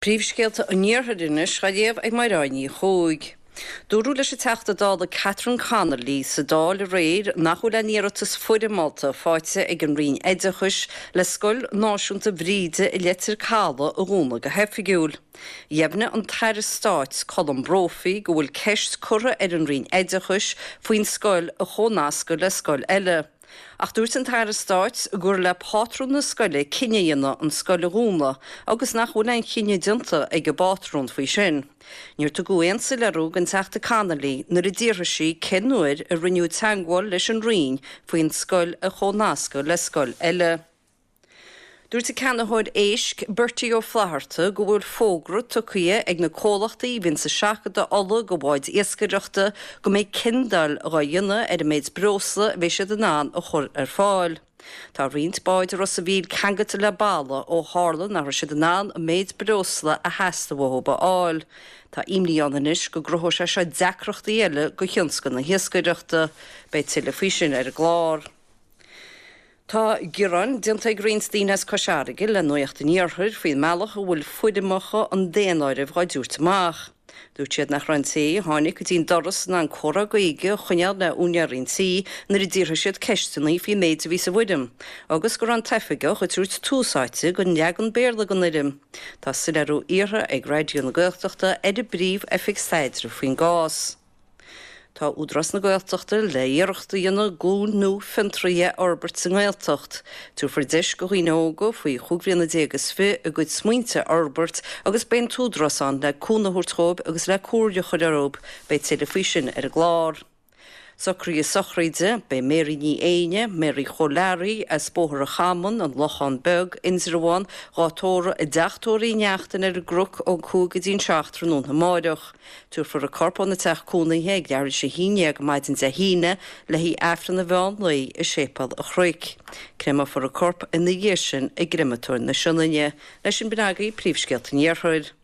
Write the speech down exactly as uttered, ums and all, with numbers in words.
Príomhscéalta an Iarthair anois á léamh ag Mairéad Ní Chuaig. Dúradh leis an Teachta Dála Catherine Connolly sa Dáil aréir nach bhfuil aon iarratas foirmeálta faighte ag an Roinn Oideachais le Scoil Náisiúnta Bhríde i Leitir Caladh a dhúnadh go hoifigiúil. Dheimhnigh an tAire Stáit Colm Brophy go bhfuil ceist curtha ar an Roinn Oideachais faoin scoil a chónascadh le scoil eile. Ach dúirt an tAire Stáit gur le pátrún na scoile cinneadh a dhéanamh an scoil a dhúnadh agus nach bhfuil aon chinneadh déanta ag an bpátrún faoi sin. Níor tugadh aon soiléiriú don Teachta Connolly nuair a d'fhiafraigh sí cén uair a rinneadh teagmháil leis an Roinn faoin scoil a chónascadh le scoil eile. Dúirt an ceannaitheoir éisc Bertie Ó Flatharta go bhfuil fógra tugtha ag na comhlachtaí a bhíonn ag seachadadh ola go báid iascaireachta go mbeidh ciondáil á dhéanamh ar an méid breosla a bheidh siad in ann a chur ar fáil. Tá roinnt báid i Ros an Mhíl ceangailte le balla ó tharla nach raibh siad in ann an méid breosla a theastaigh uathu a fháil. Tá imní ann anois go gcruthóidh sé seo deacrachtaí eile do thionscal na hiascaireachta. Beidh tuilleadh faoi sin ar an gclár. Tá gearán déanta ag roinnt daoine as Cois Fharraige le Nuacht an Iarthair faoin mbealach a bhfuil foirmeacha an daonáirimh á dtabhairt amach. Dúirt siad nach raibh an té a tháinig go dtí an doras in ann comhrá Gaeilge a choinneáil le úinéir an tí nuair a d'fhiafraigh siad ceisteanna faoin méid a bhí sa bhfoirm, agus go raibh an t-oifigeach ag tabhairt tús áite don leagan Béarla den fhoirm. Tá soiléiriú iarrtha ag Raidió na Gaeltachta ar an bPríomh-Oifig Staidrimh faoin gcás. Tá Údarás na Gaeltachta le iarracht a dhéanamh glúin nua fiontraithe a fhorbairt sa nGaeltacht. Tabharfar deis do dhaoine óga faoi chúig bhliana déag is fiche a gcuid smaointe a fhorbairt agus beidh an tÚdarás ann le cúnamh a thabhairt dhóibh agus le comhairle a chur orthu. Beidh tuilleadh faoi sin ar an gclár. Socruithe sochraide, Beidh Mary Ní Éinne, Mary Chóil Learaí, as Bóthar an Chamáin, An Lochán Beag, Indreabhán, dhá tórramh i dTeach Tórraimh Uí Neachtain ar an gCnoc ón cúig go dtí an seacht tráthnóna amáireach. Tabharfar a corp óna teach cónaithe ag leathuair tar éis a haon déag maidin Dé hAoine le haghaidh Aifreann an mheán lae i Séipéal an Chnoic. Créamófar a corp ina dhiaidh sin i gCreamatóir na Sionainne. Leis sin b'in agaibh príomhscéalta an Iarthair.